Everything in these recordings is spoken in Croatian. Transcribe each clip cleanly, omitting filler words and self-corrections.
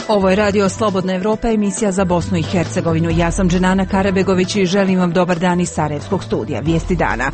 Ovo je Radio Slobodna Evropa, emisija za Bosnu i Hercegovinu. Ja sam Dženana Karabegović i želim vam dobar dan iz Sarajevskog studija. Vijesti dana.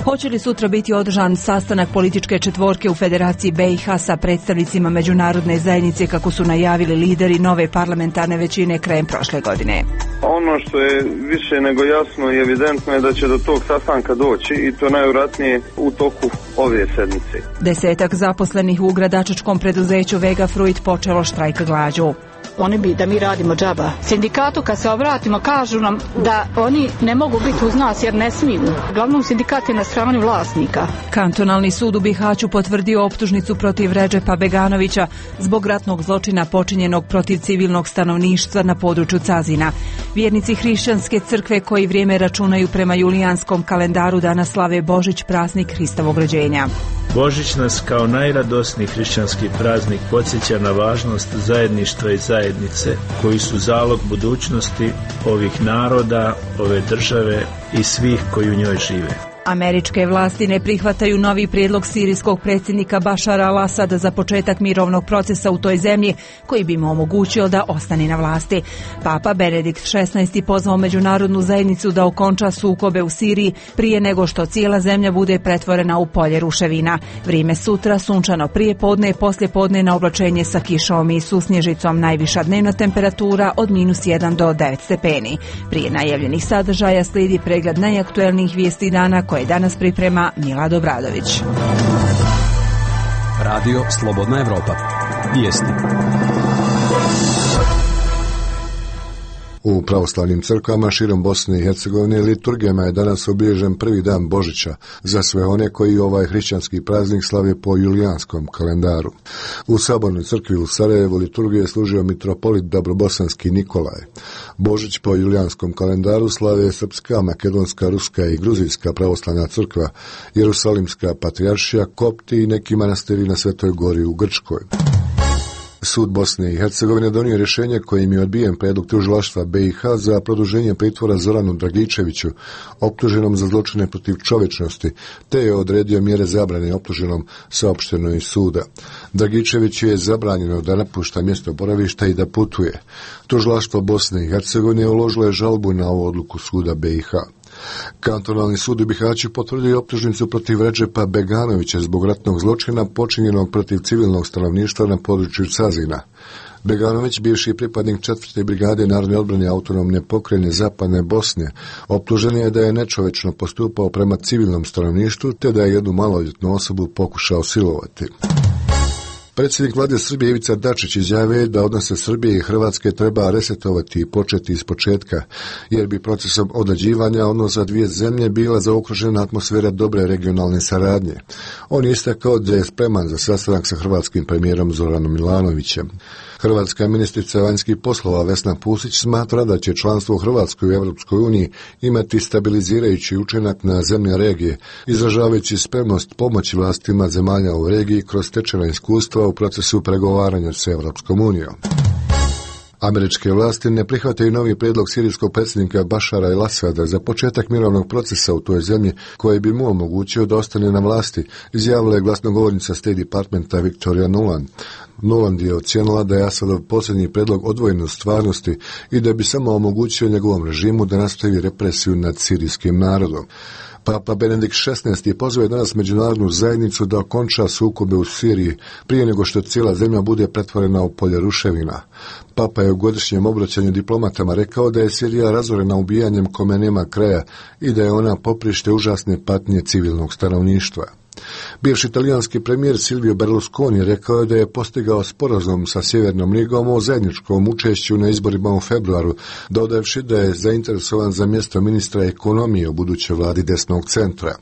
Hoće li sutra biti održan sastanak političke četvorke u Federaciji BiH sa predstavnicima međunarodne zajednice kako su najavili lideri nove parlamentarne većine krajem prošle godine? Ono što je više nego jasno i evidentno je da će do tog sastanka doći i to najvjerojatnije u toku ove sedmice. 10 zaposlenih u gradačačkom preduzeću Vega Fruit počelo štrajk glađu. Oni bi da mi radimo džaba. Sindikatu kad se obratimo kažu nam da oni ne mogu biti uz nas jer ne smiju. Uglavnom sindikat je na strani vlasnika. Kantonalni sud u Bihaću potvrdio optužnicu protiv Redžepa Beganovića zbog ratnog zločina počinjenog protiv civilnog stanovništva na području Cazina. Vjernici hrišćanske crkve koji vrijeme računaju prema julijanskom kalendaru danas slave Božić, praznik Hristovog rođenja. Božić nas kao najradosniji hrišćanski praznik podsjeća na važnost zajedništva i zajednice koji su zalog budućnosti ovih naroda, ove države i svih koji u njoj žive. Američke vlasti ne prihvataju novi prijedlog sirijskog predsjednika Bašara al-Asada za početak mirovnog procesa u toj zemlji koji bi mu omogućio da ostane na vlasti. Papa Benedikt XVI pozvao međunarodnu zajednicu da okonča sukobe u Siriji prije nego što cijela zemlja bude pretvorena u polje ruševina. Vrijeme sutra sunčano prije podne i poslije podne na oblačenje sa kišom i susnježicom, najviša dnevna temperatura od -1 do 9 stepeni. Prije najavljenih sadržaja slijedi pregled najaktuelnijih vijesti dana koje danas priprema Milad Obradović. Radio Slobodna Evropa. Vijesti. U pravoslavnim crkvama širom Bosne i Hercegovine liturgijama je danas obilježen prvi dan Božića za sve one koji ovaj hrišćanski praznik slave po julijanskom kalendaru. U Sabornoj crkvi u Sarajevu liturgiju je služio mitropolit Dabrobosanski Nikolaj. Božić po julijanskom kalendaru slave Srpska, Makedonska, Ruska i Gruzijska pravoslavna crkva, Jerusalimska patrijaršija, Kopti i neki manastiri na Svetoj Gori u Grčkoj. Sud Bosne i Hercegovine donio rješenje kojim je odbijen prijedlog tužilaštva BiH za produženje pritvora Zoranu Dragičeviću, optuženom za zločine protiv čovječnosti, te je odredio mjere zabrane optuženom, saopšteno iz suda. Dragičeviću je zabranjeno da napušta mjesto boravišta i da putuje. Tužilaštvo Bosne i Hercegovine uložilo je žalbu na ovu odluku suda BiH. Kantonalni sud u Bihaću potvrdio optužnicu protiv Redžepa Beganovića zbog ratnog zločina počinjenog protiv civilnog stanovništva na području Cazina. Beganović, bivši pripadnik 4. brigade narodne odbrane autonomne pokrajine Zapadne Bosne, optužen je da je nečovečno postupao prema civilnom stanovništvu te da je jednu maloljetnu osobu pokušao silovati. Predsjednik vlade Srbije Ivica Dačić izjavio da odnose Srbije i Hrvatske treba resetovati i početi iz početka, jer bi procesom određivanja odnosa dvije zemlje bila zaokružena atmosfera dobre regionalne saradnje. On je istakao da je spreman za sastanak sa hrvatskim premijerom Zoranom Milanovićem. Hrvatska ministrica vanjskih poslova Vesna Pusić smatra da će članstvo Hrvatske u Europskoj uniji imati stabilizirajući učinak na zemlje regije, izražavajući spremnost pomoći vlastima zemalja u regiji kroz stečena iskustva u procesu pregovaranja s Europskom unijom. Američke vlasti ne prihvataju novi prijedlog sirijskog predsjednika Bašara al-Asada za početak mirovnog procesa u toj zemlji koji bi mu omogućio da ostane na vlasti, izjavila je glasnogovornica State Departmenta Victoria Nuland. Nuland je ocijenila da je Asadov posljednji prijedlog odvojen od stvarnosti i da bi samo omogućio njegovom režimu da nastavi represiju nad sirijskim narodom. Papa Benedikt XVI pozvao je danas međunarodnu zajednicu da okonča sukobe u Siriji prije nego što cijela zemlja bude pretvorena u polje ruševina. Papa je u godišnjem obraćanju diplomatama rekao da je Sirija razorena ubijanjem kome nema kraja i da je ona poprište užasne patnje civilnog stanovništva. Bivši italijanski premijer Silvio Berlusconi rekao je da je postigao sporazum sa Sjevernom Ligom o zajedničkom učešću na izborima u februaru, dodavši da je zainteresovan za mjesto ministra ekonomije u budućoj vladi desnog centra.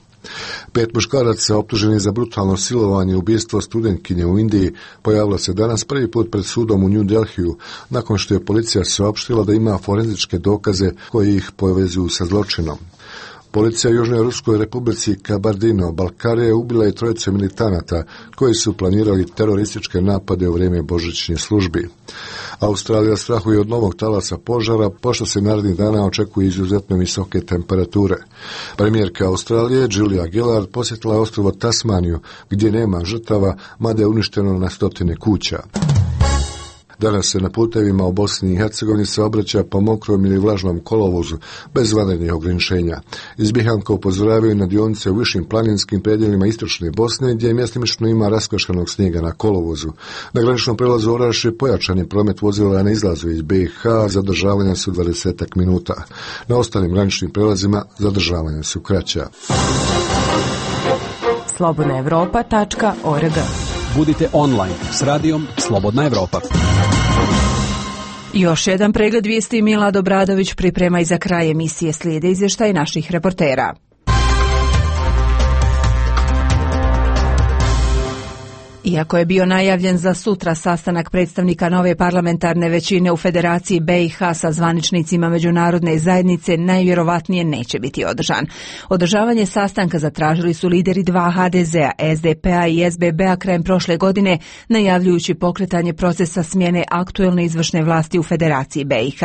5 muškaraca optuženih za brutalno silovanje i ubijstvo studentkinje u Indiji pojavilo se danas prvi put pred sudom u New Delhiju, nakon što je policija saopštila da ima forenzičke dokaze koji ih povezuju sa zločinom. Policija u Južnoj Ruskoj republici Kabardino-Balkarije ubila je 3 militanata koji su planirali terorističke napade u vrijeme božićnih službi. Australija strahuje od novog talasa požara, pošto se narednih dana očekuje izuzetno visoke temperature. Premijerka Australije Julia Gillard posjetila je ostrvo Tasmaniju, gdje nema žrtava, mada je uništeno na stotine kuća. Danas se na putevima u Bosni i Hercegovini saobraća po mokrom ili vlažnom kolovozu bez vanrednih ograničenja. Iz Bihanka upozoravaju na dionice u višim planinskim predjelima istočne Bosne gdje mjestimično ima raskvaškanog snijega na kolovozu. Na graničnom prelazu Orašje pojačan je promet vozila na izlazu iz BiH, zadržavanja su 20 minuta. Na ostalim graničnim prelazima zadržavanja su kraća. slobodnaevropa.org. Budite online s radijom Slobodna Evropa. Još jedan pregled vijesti Milad Obradović priprema i za kraj emisije slijede izvještaj naših reportera. Iako je bio najavljen za sutra sastanak predstavnika nove parlamentarne većine u Federaciji BiH sa zvaničnicima međunarodne zajednice, najvjerovatnije neće biti održan. Održavanje sastanka zatražili su lideri dva HDZ-a, SDP-a i SBB-a krajem prošle godine, najavljujući pokretanje procesa smjene aktuelne izvršne vlasti u Federaciji BiH.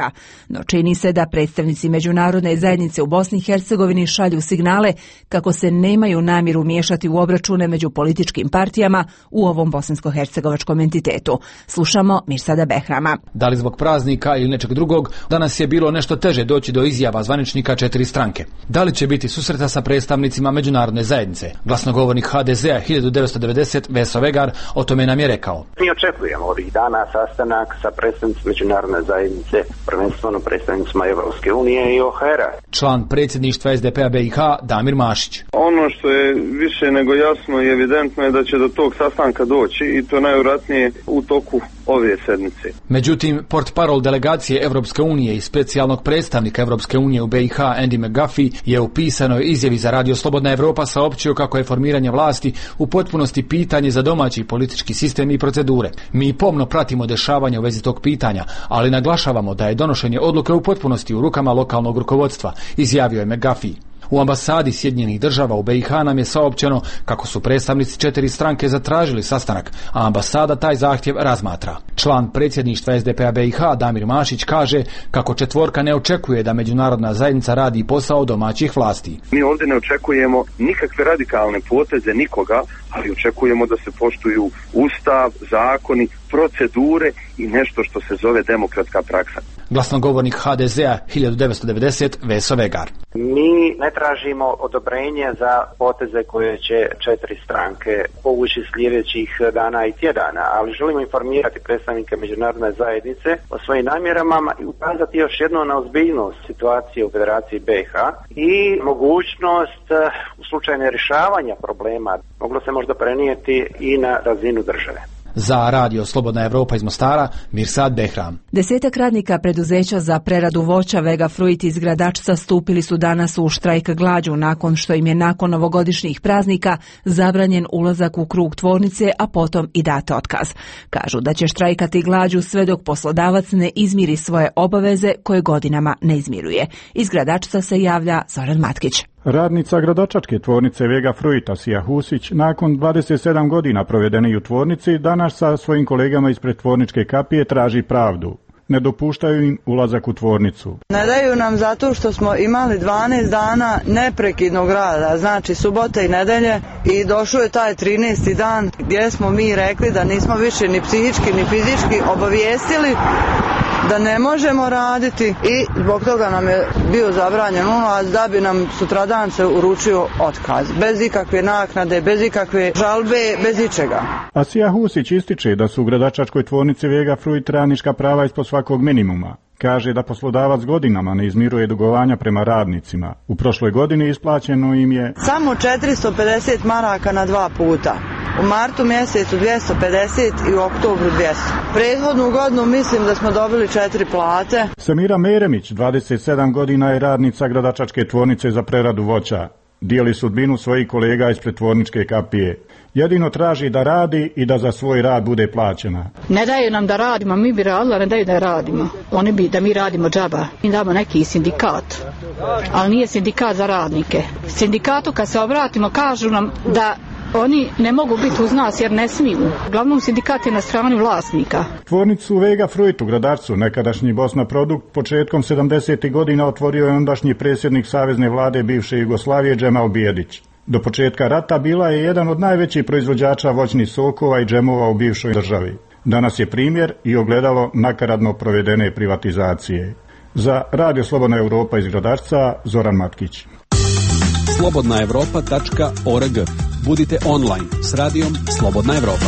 No čini se da predstavnici međunarodne zajednice u Bosni i Hercegovini šalju signale kako se nemaju namjeru miješati u obračune među političkim partijama u ovom bosansko-hercegovačkom entitetu. Slušamo Mirsada Behrama. Da li zbog praznika ili nečeg drugog, danas je bilo nešto teže doći do izjava zvaničnika 4 stranke. Da li će biti susreta sa predstavnicima međunarodne zajednice? Glasnogovornik HDZ-a 1990 Veso Vegar o tome nam je rekao. Mi očekujemo ovih dana sastanak sa predstavnicima međunarodne zajednice, prvenstveno predstavnicima Evropske unije i OHR-a. Član predsjedništva SDP-a BiH Damir Mašić. Ono što je više nego jasno i evidentno je da će do tog sastanka doći i to najvjerojatnije u toku ove sedmice. Međutim, portparol delegacije Evropske unije i specijalnog predstavnika Evropske unije u BiH Andy McGuffey je u pisanoj izjavi za Radio Slobodna Evropa saopćio kako je formiranje vlasti u potpunosti pitanje za domaći politički sistem i procedure. Mi pomno pratimo dešavanja u vezi tog pitanja, ali naglašavamo da je donošenje odluke u potpunosti u rukama lokalnog rukovodstva, izjavio je McGuffey. U ambasadi Sjedinjenih država u BiH nam je saopćeno kako su predstavnici 4 stranke zatražili sastanak, a ambasada taj zahtjev razmatra. Član predsjedništva SDP-a BiH Damir Mašić kaže kako četvorka ne očekuje da međunarodna zajednica radi posao domaćih vlasti. Mi ovdje ne očekujemo nikakve radikalne poteze nikoga, ali očekujemo da se poštuju ustav, zakoni, procedure i nešto što se zove demokratska praksa. Glasnogovornik HDZ-a 1990 Veso Vegar. Mi ne tražimo odobrenje za poteze koje će 4 stranke povući sljedećih dana i tjedana, ali želimo informirati predstavnike međunarodne zajednice o svojim namjerama i ukazati još jedno na ozbiljnost situacije u Federaciji BiH i mogućnost u slučaju nerješavanja problema moglo se možda prenijeti i na razinu države. Za Radio Slobodna Evropa iz Mostara, Mirsad Behram. 10 radnika preduzeća za preradu voća Vega Fruit iz Gradačca stupili su danas u štrajk glađu nakon što im je nakon novogodišnjih praznika zabranjen ulazak u krug tvornice, a potom i dat otkaz. Kažu da će štrajkati glađu sve dok poslodavac ne izmiri svoje obaveze koje godinama ne izmiruje. Iz Gradačca se javlja Zoran Matkić. Radnica gradačačke tvornice Vega Fruita Sija Husić nakon 27 godina provedeni u tvornici danas sa svojim kolegama ispred tvorničke kapije traži pravdu. Ne dopuštaju im ulazak u tvornicu. Ne daju nam zato što smo imali 12 dana neprekidnog rada, znači subote i nedelje, i došao je taj 13. dan gdje smo mi rekli da nismo više ni psihički ni fizički obavijestili da ne možemo raditi i zbog toga nam je bio zabranjen ulaz da bi nam sutradan se uručio otkaz. Bez ikakve naknade, bez ikakve žalbe, bez ičega. Asija Husić ističe da su u gradačačkoj tvornici Vega Fruit radnička prava ispod svakog minimuma. Kaže da poslodavac godinama ne izmiruje dugovanja prema radnicima. U prošloj godini isplaćeno im je samo 450 maraka na 2 puta. U martu mjesecu 250 i u oktobru 200. Prethodnu godinu mislim da smo dobili 4 plate. Samira Meremić, 27 godina, je radnica gradačačke tvornice za preradu voća. Dijeli sudbinu svojih kolega ispred tvorničke kapije. Jedino traži da radi i da za svoj rad bude plaćena. Ne daju nam da radimo, mi bi radili, ne daju da radimo. Oni bi da mi radimo džaba. Mi damo neki sindikat, ali nije sindikat za radnike. Sindikatu kad se obratimo kažu nam da oni ne mogu biti uz nas jer ne smiju. Uglavnom sindikat je na strani vlasnika. Tvornicu Vega Fruit u Gradačcu, nekadašnji Bosna Produkt, početkom 70. godina otvorio je ondašnji predsjednik Savezne vlade bivše Jugoslavije Džemal Bijedić. Do početka rata bila je jedan od najvećih proizvođača voćnih sokova i džemova u bivšoj državi. Danas je primjer i ogledalo nakaradno provedene privatizacije. Za Radio Slobodna Europa iz Gradarca, Zoran Matkić. slobodnaevropa.org. Budite online s radijom Slobodna Evropa.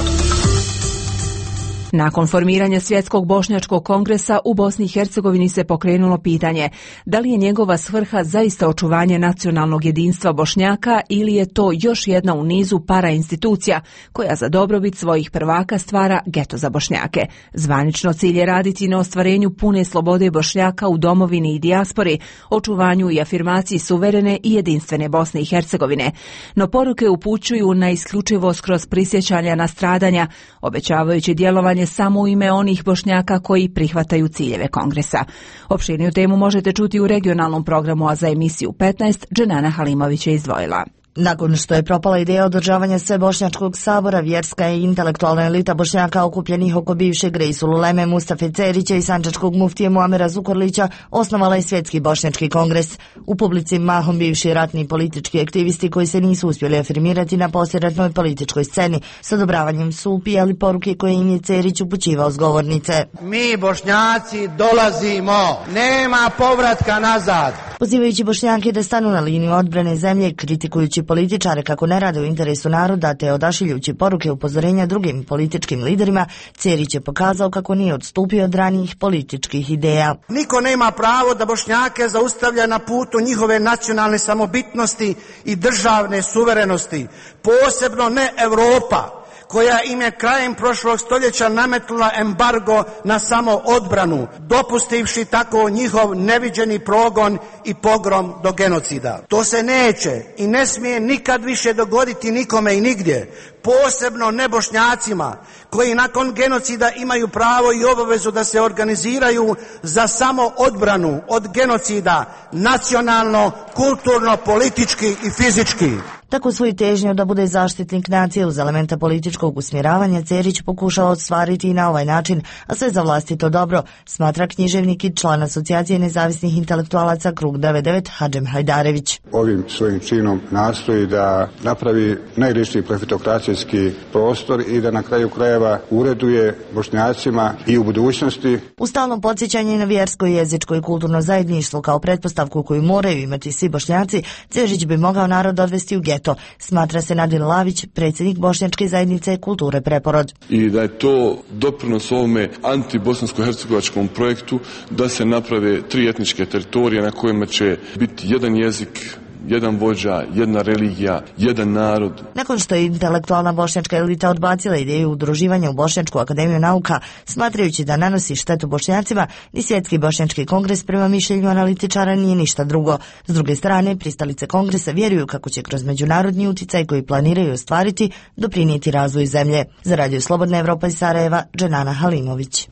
Nakon formiranja Svjetskog bošnjačkog kongresa u Bosni i Hercegovini se pokrenulo pitanje da li je njegova svrha zaista očuvanje nacionalnog jedinstva Bošnjaka ili je to još jedna u nizu parainstitucija koja za dobrobit svojih prvaka stvara geto za Bošnjake. Zvanično cilj je raditi na ostvarenju pune slobode Bošnjaka u domovini i dijaspori, očuvanju i afirmaciji suverene i jedinstvene Bosne i Hercegovine. No poruke upućuju na isključivost kroz prisjećanja na stradanja, obećavajući djelovanje samo u ime onih Bošnjaka koji prihvataju ciljeve kongresa. Opširniju temu možete čuti u regionalnom programu, a za emisiju 15 Dženana Halimović je izdvojila. Nakon što je propala ideja održavanja Svebošnjačkog sabora, vjerska i intelektualna elita Bošnjaka okupljenih oko bivšeg Reisul Uleme Mustafe Cerića i sančačkog muftije Muamera Zukorlića osnovala je Svjetski bošnjački kongres. U publici mahom bivši ratni i politički aktivisti koji se nisu uspjeli afirmirati na poslijeratnoj političkoj sceni. S odobravanjem su upijali poruke koje im je Cerić upućivao s govornice. Mi Bošnjaci dolazimo, nema povratka nazad. Pozivajući Bošnjake da stanu na liniju odbrane zemlje, kritikujući političare kako ne rade u interesu naroda te odašiljući poruke upozorenja drugim političkim liderima, Cerić je pokazao kako nije odstupio od ranijih političkih ideja. Niko nema pravo da Bošnjake zaustavlja na putu njihove nacionalne samobitnosti i državne suverenosti, posebno ne Europa, koja im je krajem prošlog stoljeća nametnula embargo na samo odbranu, dopustivši tako njihov neviđeni progon i pogrom do genocida. To se neće i ne smije nikad više dogoditi nikome i nigdje, posebno ne Bošnjacima, koji nakon genocida imaju pravo i obavezu da se organiziraju za samo odbranu od genocida nacionalno, kulturno, politički i fizički. Tako svoju težnju da bude zaštitnik nacije uz elementa političkog usmjeravanja Cerić pokušao ostvariti i na ovaj način, a sve za vlastito dobro, smatra književnik i član Asocijacije nezavisnih intelektualaca Krug 99 Hadžem Hajdarević. Ovim svojim činom nastoji da napravi najličniji profitokracijski prostor i da na kraju krajeva ureduje Bošnjacima i u budućnosti. U stalnom podsjećanju na vjersko, jezičko i kulturno zajedništvo kao pretpostavku koju moraju imati svi Bošnjaci, Cerić bi mogao narod odvesti u geto, smatra se Nadin Lavić, predsjednik Bošnjačke zajednice Kulture Preporod. I da je to doprinos ovome antibosansko-hercegovačkom projektu da se naprave 3 etničke teritorije na kojima će biti jedan jezik, jedan vođa, jedna religija, jedan narod. Nakon što je intelektualna bošnjačka elita odbacila ideju udruživanja u Bošnjačku akademiju nauka, smatrajući da nanosi štetu Bošnjacima, ni Svjetski bošnjački kongres prema mišljenju analitičara nije ništa drugo. S druge strane, pristalice kongresa vjeruju kako će kroz međunarodni uticaj koji planiraju ostvariti doprinijeti razvoju zemlje. Za Radio Slobodna Evropa iz Sarajeva, Dženana Halimović.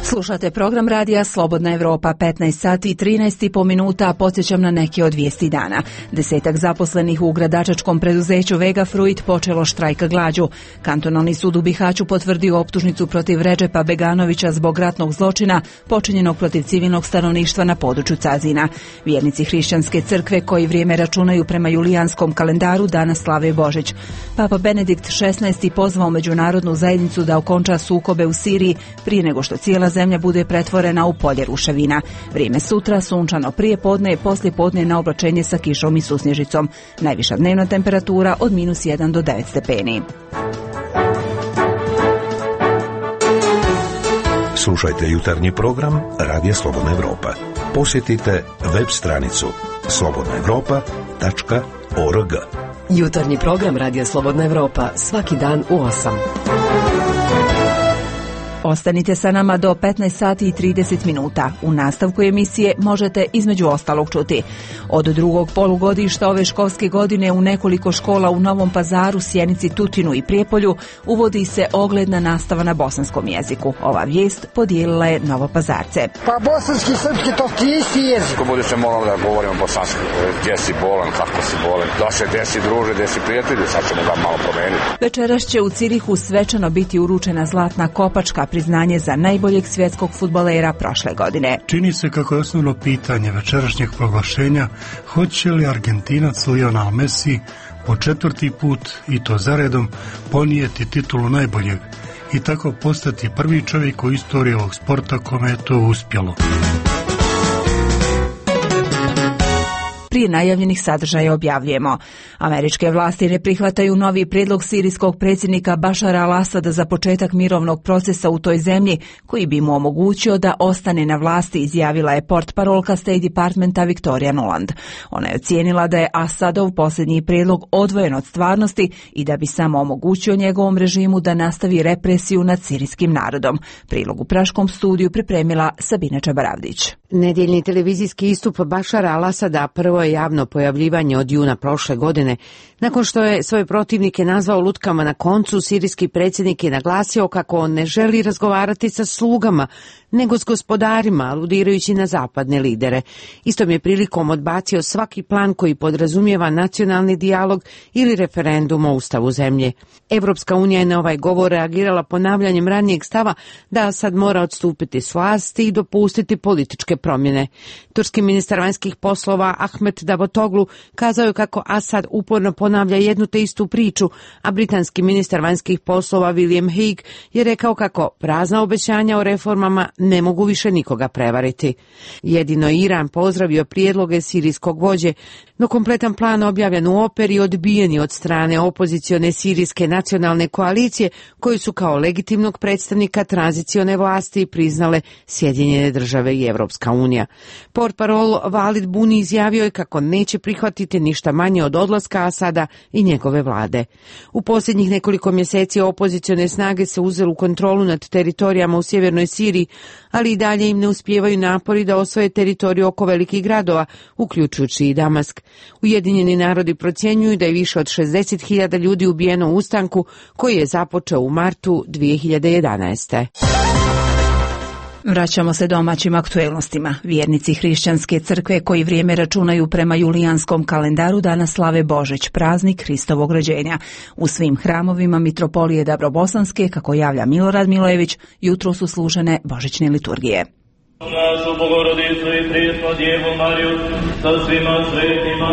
Slušate program radija Slobodna Evropa, 15 sati i 13,5 minuta, podsjećam na neke od vijesti dana. 10 zaposlenih u gradačačkom preduzeću Vega Fruit počelo štrajka glađu. Kantonalni sud u Bihaću potvrdio optužnicu protiv Redžepa Beganovića zbog ratnog zločina počinjenog protiv civilnog stanovništva na području Cazina. Vjernici hrišćanske crkve koji vrijeme računaju prema julijanskom kalendaru danas slave Božić. Papa Benedikt XVI pozvao međunarodnu zajednicu da okonča sukobe u Siriji prije nego što cijela zemlja bude pretvorena u polje ruševina. Vrijeme sutra sunčano prije podne i poslije podne na oblačenje sa kišom i susnježicom. Najviša dnevna temperatura od -1 do 9 stepeni. Slušajte jutarnji program Radija Slobodna Evropa. Posjetite web stranicu slobodnaevropa.org. Jutarnji program Radija Slobodna Evropa svaki dan u 8. Ostanite sa nama do 15 sati i 30 minuta. U nastavku emisije možete između ostalog čuti. Od drugog polugodišta ove školske godine u nekoliko škola u Novom Pazaru, Sjenici, Tutinu i Prijepolju uvodi se ogledna nastava na bosanskom jeziku. Ova vijest podijelila je Novopazarce. Pa bosanski, srpski, to ti isti jezik. Ko bude se moralo da govorimo bosanski, gdje si bolan, kako si bolan, da se gdje si druže, gdje si prijatelji, sad ćemo ga malo promeniti. Večeras će u Cirihu svečano biti uručena zlatna kopačka priznanje za najboljeg svjetskog fudbalera prošle godine. Čini se kako je osnovno pitanje večerašnjeg proglašenja hoće li Argentinac Lionel Messi po 4. put, i to zaredom, ponijeti titulu najboljeg i tako postati prvi čovjek u istoriji ovog sporta kome je to uspjelo. Prije najavljenih sadržaja objavljujemo. Američke vlasti ne prihvataju novi prijedlog sirijskog predsjednika Bašara al-Asada za početak mirovnog procesa u toj zemlji, koji bi mu omogućio da ostane na vlasti, izjavila je portparolka State Departmenta Victoria Nuland. Ona je ocijenila da je Asadov posljednji prijedlog odvojen od stvarnosti i da bi samo omogućio njegovom režimu da nastavi represiju nad sirijskim narodom. Prilog u Praškom studiju pripremila Sabina Čabaravdić. Nedjeljni televizijski istup Bašara al-Asada prvo je javno pojavljivanje od juna prošle godine. Nakon što je svoje protivnike nazvao lutkama na koncu, sirijski predsjednik je naglasio kako on ne želi razgovarati sa slugama, nego s gospodarima, aludirajući na zapadne lidere. Istom je prilikom odbacio svaki plan koji podrazumijeva nacionalni dijalog ili referendum o ustavu zemlje. Evropska unija je na ovaj govor reagirala ponavljanjem ranijeg stava da Asad mora odstupiti s vlasti i dopustiti političke promjene. Turski ministar vanjskih poslova Ahmet Davutoglu kazao je kako Asad uporno ponavlja jednu te istu priču, a britanski ministar vanjskih poslova William Hague je rekao kako prazna obećanja o reformama ne mogu više nikoga prevariti. Jedino Iran pozdravio prijedloge sirijskog vođe, no kompletan plan objavljen u operi odbijen je od strane opozicione sirijske nacionalne koalicije, koju su kao legitimnog predstavnika tranzicione vlasti priznale Sjedinjene države i Evropska unija. Portparol Walid Buni izjavio je kako neće prihvatiti ništa manje od odlaska Asada i njegove vlade. U posljednjih nekoliko mjeseci opozicione snage se uzeli u kontrolu nad teritorijama u sjevernoj Siriji, ali i dalje im ne uspijevaju napori da osvoje teritoriju oko velikih gradova, uključujući i Damask. Ujedinjeni narodi procjenjuju da je više od 60.000 ljudi ubijeno u ustanku koji je započeo u martu 2011. Vraćamo se domaćim aktuelnostima. Vjernici hrišćanske crkve koji vrijeme računaju prema julijanskom kalendaru danas slave Božić, praznik Hristovog rođenja. U svim hramovima mitropolije Dabrobosanske, kako javlja Milorad Milojević, jutro su služene božićne liturgije. Našu Bogorodicu i Prisnu Djevu Mariju sa svima svetima,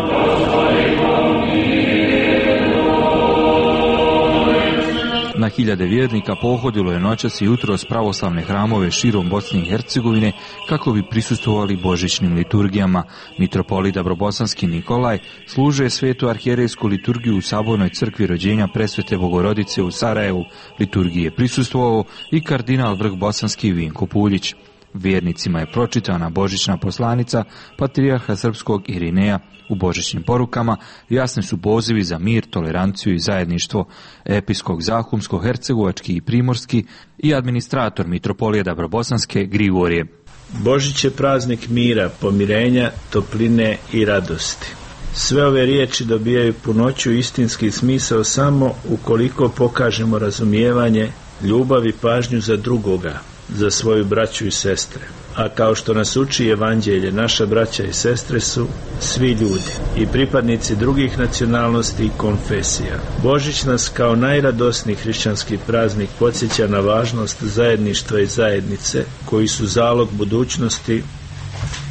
Na hiljade vjernika pohodilo je noćas i jutros pravoslavne hramove širom Bosne i Hercegovine kako bi prisustvovali božićnim liturgijama. Mitropolit Dabrobosanski Nikolaj služe svetu arhijerejsku liturgiju u Sabornoj crkvi rođenja Presvete Bogorodice u Sarajevu. Liturgiji je prisustvovao i kardinal vrh bosanski Vinko Puljić. Vjernicima je pročitana božićna poslanica patrijarha srpskog Irineja. U božićnim porukama jasni su pozivi za mir, toleranciju i zajedništvo. Episkop Zahumsko-hercegovački i primorski i administrator mitropolije Dabrobosanske Grigorije. Božić je praznik mira, pomirenja, topline i radosti. Sve ove riječi dobijaju punoću istinski smisao samo ukoliko pokažemo razumijevanje, ljubav i pažnju za drugoga, za svoju braću i sestre. A kao što nas uči Evanđelje, naša braća i sestre su svi ljudi i pripadnici drugih nacionalnosti i konfesija. Božić nas kao najradosniji hrišćanski praznik podsjeća na važnost zajedništva i zajednice, koji su zalog budućnosti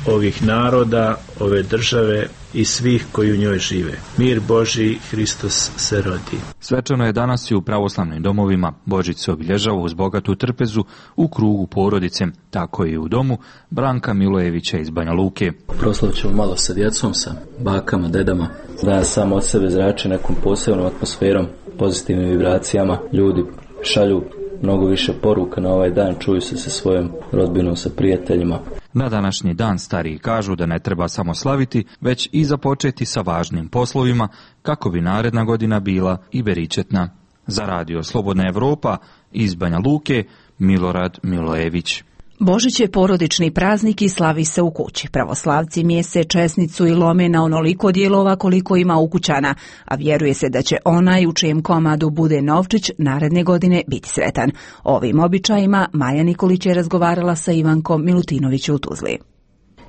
ovih naroda, ove države i svih koji u njoj žive. Mir Božji, Hristos se rodi. Svečano je danas i u pravoslavnim domovima. Božić se obilježava uz bogatu trpezu u krugu porodice, tako i u domu Branka Milojevića iz Banja Luke. Proslavit ćemo malo sa djecom, sa bakama, dedama, da sam od sebe zrači nekom posebnom atmosferom, pozitivnim vibracijama. Ljudi šalju mnogo više poruka na ovaj dan, čuju se sa svojom rodbinom, sa prijateljima. Na današnji dan stariji kažu da ne treba samo slaviti, već i započeti sa važnim poslovima kako bi naredna godina bila i beričetna. Za radio Slobodna Evropa iz Banja Luke, Milorad Milojević. Božić je porodični praznik i slavi se u kući. Pravoslavci mjese česnicu i lome na onoliko dijelova koliko ima ukućana, a vjeruje se da će onaj u čijem komadu bude novčić naredne godine biti sretan. O ovim običajima Maja Nikolić je razgovarala sa Ivankom Milutinović u Tuzli.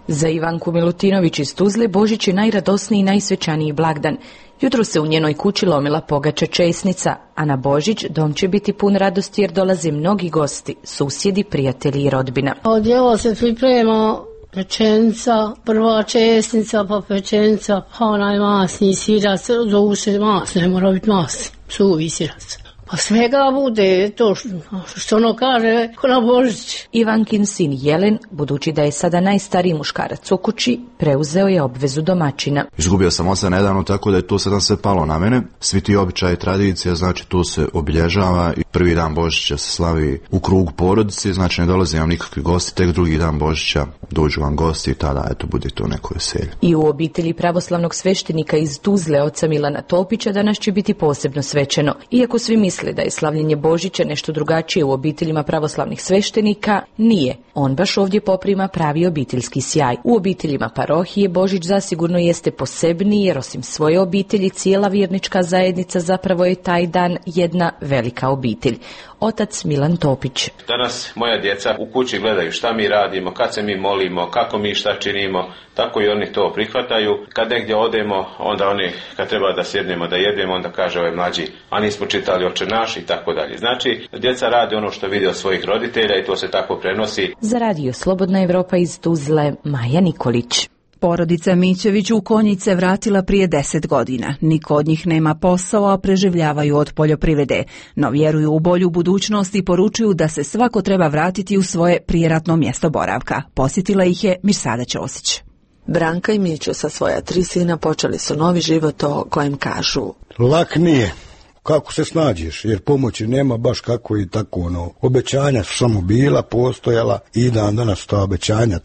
Za Ivanku Milutinović iz Tuzle Božić je najradosniji i najsvečaniji blagdan. Jutro se u njenoj kući lomila pogača česnica, a na Božić dom će biti pun radosti jer dolaze mnogi gosti, susjedi, prijatelji i rodbina. Odjelo se priprema pečenica, prva česnica, pa pečenica, pa onaj masni sirac, zovu se mas, ne mora biti masni, suvi sirac. Pa svega bude to što ono kaže ko na Božić. Ivankin sin Jelen, budući da je sada najstariji muškarac u kući, preuzeo je obvezu domaćina. Izgubio sam oca nedavno, tako da je to sada sve palo na mene. Svi ti običaji, tradicija, znači to se obilježava i prvi dan Božića se slavi u krugu porodice, znači ne dolaze vam nikakvi gosti, tek drugi dan Božića dođu vam gosti i tada eto bude to neko veselje. I u obitelji pravoslavnog sveštenika iz Tuzle, oca Milana Topića, danas će biti posebno svečano. Iako svi misle da je slavljenje Božića nešto drugačije u obiteljima pravoslavnih sveštenika, nije. On baš ovdje poprima pravi obiteljski sjaj. U obiteljima parohije Božić zasigurno jeste posebniji jer osim svoje obitelji cijela vjernička zajednica zapravo je taj dan jedna velika obitelj. Otac Milan Topić. Danas moja djeca u kući gledaju šta mi radimo, kad se mi molimo, kako mi šta činimo, tako i oni to prihvataju. Kad negdje odemo, onda oni kad treba da sjednemo da jedemo, onda kaže ovaj mlađi, a nismo čitali Oče naš i tako dalje. Znači, djeca rade ono što vide od svojih roditelja i to se tako prenosi. Za Radio Slobodna Evropa iz Tuzle, Maja Nikolić. Porodica Mićević u Konjice vratila prije 10 godina. Niko od njih nema posao, a preživljavaju od poljoprivrede. No vjeruju u bolju budućnost i poručuju da se svako treba vratiti u svoje prijeratno mjesto boravka. Posjetila ih je Mirsada Ćosić. Branka i Mićo sa svoja 3 sina počeli su novi život o kojem kažu. Lak nije. Kako se snađeš, jer pomoći nema baš kako i tako obećanja su samo bila, postojala i dan danas ta obećanja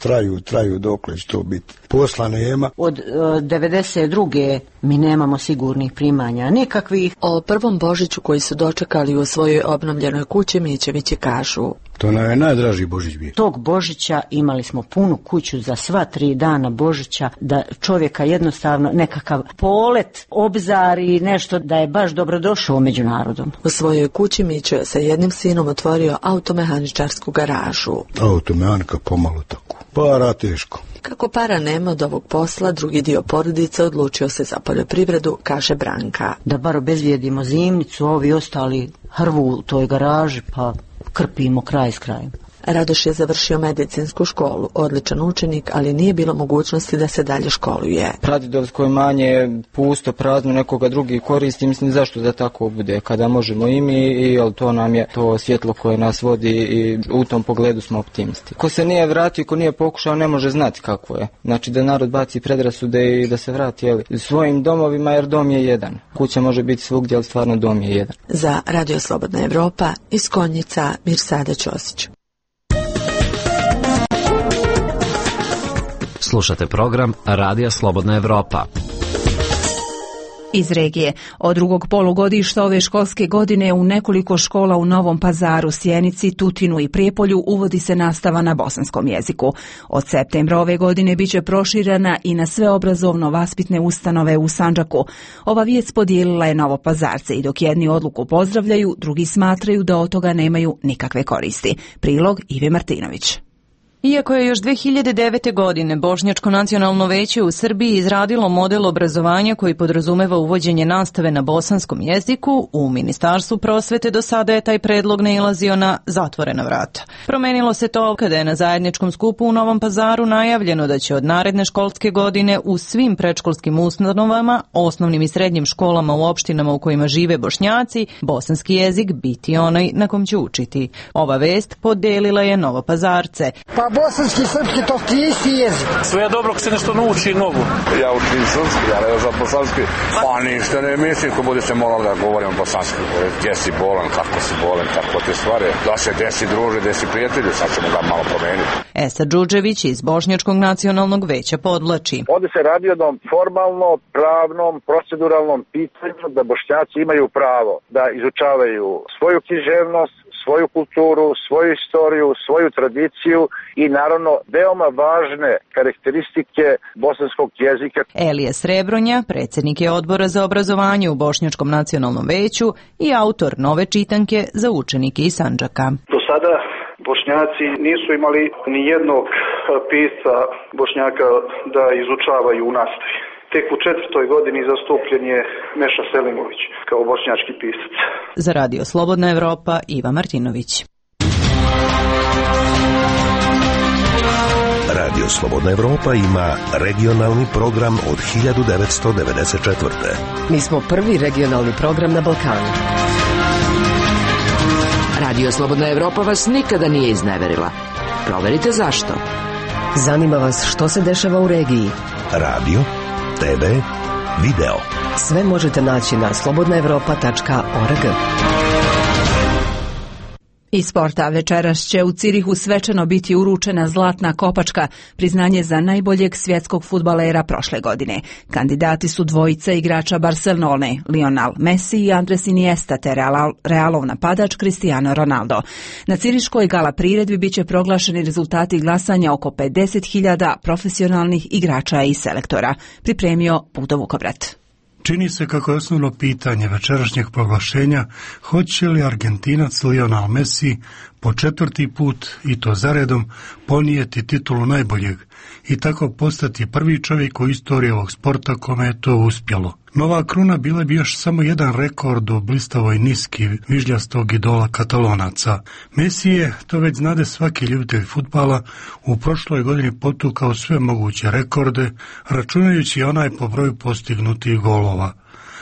traju dokle će to biti. Posla nema. Od 92. mi nemamo sigurnih primanja, nikakvih. O prvom Božiću koji su dočekali u svojoj obnovljenoj kući Mićevići kažu. To nam je najdraži Božić bio. Tog Božića imali smo punu kuću za sva 3 dana Božića, da čovjeka jednostavno nekakav polet, obzar i nešto da je baš dobrodošao među narodom. U svojoj kući Mićo je sa jednim sinom otvorio automehaničarsku garažu. Automehanika pomalo tako. Para teško. Kako para nema od ovog posla, drugi dio porodice odlučio se za poljoprivredu, kaže Branka. Da bar obezvijedimo zimnicu, ovi ostali hrvu u toj garaži, pa krpimo kraj s krajem. Radoš je završio medicinsku školu, odličan učenik, ali nije bilo mogućnosti da se dalje školuje. Pradjedovsko imanje je pusto, prazno, nekoga drugi koristi, mislim zašto da tako bude, kada možemo i mi, i to nam je to svjetlo koje nas vodi i u tom pogledu smo optimisti. Ko se nije vratio, ko nije pokušao, ne može znati kako je. Znači da narod baci predrasude i da se vrati svojim domovima, jer dom je jedan. Kuća može biti svugdje, ali stvarno dom je jedan. Za Radio Slobodna Evropa iz Konjica, Mirsada Ćosić. Slušate program Radija Slobodna Evropa. Iz regije. Od drugog polugodišta ove školske godine u nekoliko škola u Novom Pazaru, Sjenici, Tutinu i Prijepolju uvodi se nastava na bosanskom jeziku. Od septembra ove godine biće proširena i na sve obrazovno-vaspitne ustanove u Sandžaku. Ova vijest podijelila je Novopazarce i dok jedni odluku pozdravljaju, drugi smatraju da od toga nemaju nikakve koristi. Prilog Ive Martinović. Iako je još 2009. godine Bošnjačko nacionalno veće u Srbiji izradilo model obrazovanja koji podrazumeva uvođenje nastave na bosanskom jeziku, u Ministarstvu prosvete do sada je taj predlog nailazio na zatvorena vrata. Promenilo se to kada je na zajedničkom skupu u Novom Pazaru najavljeno da će od naredne školske godine u svim predškolskim ustanovama, osnovnim i srednjim školama u opštinama u kojima žive Bošnjaci, bosanski jezik biti onaj na kom će učiti. Ova vest podelila je Novopazarce. Bosanski, srpski, to ti isti jezik. Sve je dobro kad se nešto nauči novo. Ja učim srpski, ja ne znam bosanski. Pa ništa ne mislim, ko bude se moralo da govorim bosanski. Gdje si bolan, kako si bolan, tako te stvari. Da se desi druže, desi prijatelji, sad ćemo ga malo promeniti. Esa Đuđević iz Bošnjačkog nacionalnog veća podvlači. Ovdje se radi o jednom formalno, pravnom, proceduralnom pitanju da Bošnjaci imaju pravo da izučavaju svoju književnost, svoju kulturu, svoju istoriju, svoju tradiciju i naravno veoma važne karakteristike bosanskog jezika. Elije Srebronja, predsjednik je odbora za obrazovanje u Bošnjačkom nacionalnom veću i autor nove čitanke za učenike iz Sandžaka. Do sada Bošnjaci nisu imali ni jednog pisca Bošnjaka da izučavaju u nastavi. Tek u 4. godini zastupljen je Meša Selimović kao bošnjački pisac. Za Radio Slobodna Evropa, Iva Martinović. Radio Slobodna Evropa ima regionalni program od 1994. Mi smo prvi regionalni program na Balkanu. Radio Slobodna Evropa vas nikada nije izneverila. Proverite zašto. Zanima vas što se dešava u regiji. Radio, TV, video. Sve možete naći na slobodnaevropa.org. Iz sporta večeras će u Cirihu svečano biti uručena zlatna kopačka, priznanje za najboljeg svjetskog fudbalera prošle godine. Kandidati su dvojica igrača Barcelone, Lionel Messi i Andres Iniesta, te Realov napadač Cristiano Ronaldo. Na ciriškoj gala priredbi biće proglašeni rezultati glasanja oko 50.000 profesionalnih igrača i selektora. Pripremio Budo Vukobrat. Čini se kako je osnovno pitanje večerašnjeg proglašenja hoće li Argentinac Lionel Messi po 4. put, i to zaredom, ponijeti titulu najboljeg i tako postati prvi čovjek u istoriji ovog sporta kome je to uspjelo. Nova kruna bila bi još samo jedan rekord u blistavoj niski vižljastog idola Katalonaca. Messi je, to već znade svaki ljubitelj fudbala, u prošloj godini potukao sve moguće rekorde, računajući onaj po broju postignutih golova.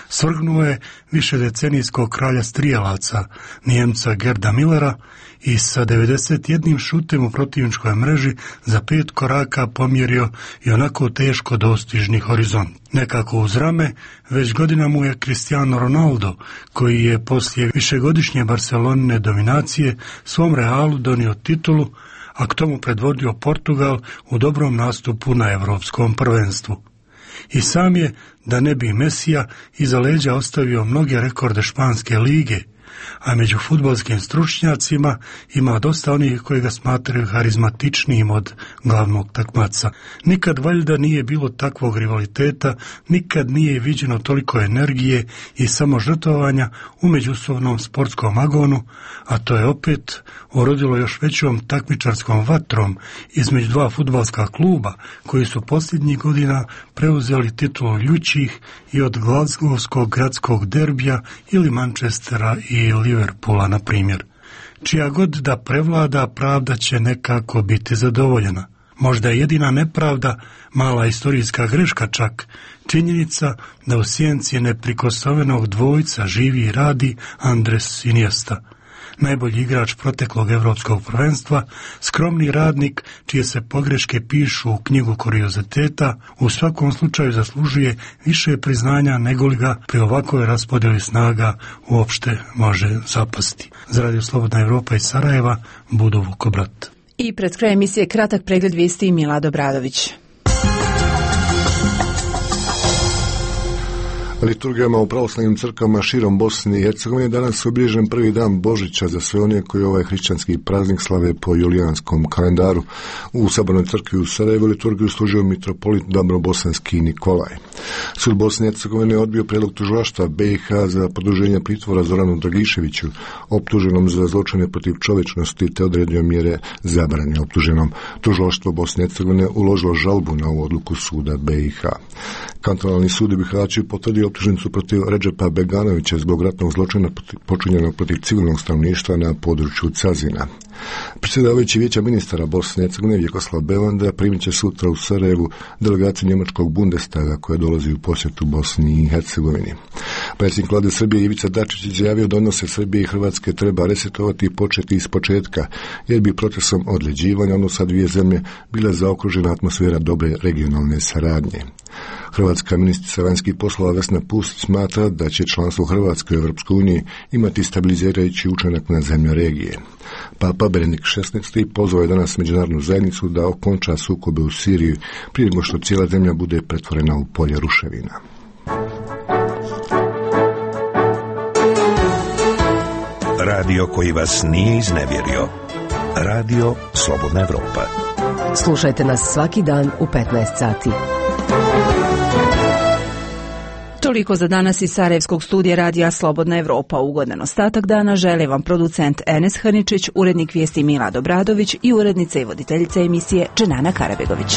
Svrgnuo je višedecenijskog kralja strijelaca, Nijemca Gerda Millera, i sa 91 šutem u protivničkoj mreži za 5 koraka pomjerio i onako teško dostižni horizont. Nekako uz rame, već godina mu je Cristiano Ronaldo, koji je poslije višegodišnje Barcelonine dominacije svom Realu donio titulu, a k tomu predvodio Portugal u dobrom nastupu na Evropskom prvenstvu. I sam je, da ne bi Mesija, iza leđa ostavio mnoge rekorde španske lige, a među fudbalskim stručnjacima ima dosta onih koji ga smatraju harizmatičnijim od glavnog takmaca. Nikad valjda nije bilo takvog rivaliteta, nikad nije viđeno toliko energije i samožrtvovanja u međusobnom sportskom agonu, a to je opet urodilo još većom takmičarskom vatrom između dva fudbalska kluba koji su posljednjih godina preuzeli titulu ljućih i od Glasgowskog gradskog derbija ili Manchestera i Liverpoola, na primjer. Čija god da prevlada, pravda će nekako biti zadovoljena. Možda je jedina nepravda, mala istorijska greška čak, činjenica da u sjenci neprikosnovenog dvojca živi i radi Andres Iniesta. Najbolji igrač proteklog evropskog prvenstva, skromni radnik čije se pogreške pišu u knjigu kurioziteta, u svakom slučaju zaslužuje više priznanja nego li ga pri ovakvoj raspodjeli snaga uopšte može zapasti. Za Radio Slobodna Evropa iz Sarajeva, Budo Vukobrat. I pred kraj emisije kratak pregled vijesti Milad Obradović. Liturgijama u pravoslavnim crkvama širom Bosne i Hercegovine danas je obilježen prvi dan Božića za sve one koji ovaj hrišćanski praznik slave po julijanskom kalendaru. U Sabornoj crkvi u Sarajevu liturgiju služio mitropolit Dabrobosanski Nikolaj. Sud Bosne i Hercegovine je odbio prijedlog tužilaštva BiH za produženje pritvora Zoranu Dragiševiću, optuženom za zločine protiv čovječnosti, te odredio mjere zabrane optuženom. Tužilaštvo Bosne i Hercegovine uložilo žalbu na ovu odluku suda BiH. Kantonalni sud u Bihaću potvrdio optužnicu protiv Redžepa Beganovića zbog ratnog zločina počinjenog protiv civilnog stanovništva na području Cazina. Predsjedavajući vijeća ministara Bosne i Hercegovine Vjekoslav Belanda primit će sutra u Sarajevu delegaciju njemačkog Bundestaga koja dolazi u posjetu Bosni i Hercegovini. Predsjednik vlade Srbije Ivica Dačić izjavio da odnose Srbije i Hrvatske treba resetovati i početi iz početka, jer bi procesom odleđivanja odnosa dvije zemlje bila zaokružena atmosfera dobre regionalne saradnje. Hrvatska ministrica vanjskih poslova Vesna Pusić smatra da će članstvo Hrvatske u Europskoj uniji imati stabilizirajući učinak na zemlje regije. Papa Benedikt XVI pozvao je danas međunarodnu zajednicu da okonča sukobe u Siriji prije nego što cijela zemlja bude pretvorena u polje ruševina. Radio koji vas nije iznevjerio. Radio Slobodna Evropa. Slušajte nas svaki dan u 15 sati. Toliko za danas iz Sarajevskog studija radija Slobodna Evropa. Ugodan ostatak dana žele vam producent Enes Haničić, urednik vijesti Milad Obradović i urednica i voditeljica emisije Dženana Karabegović.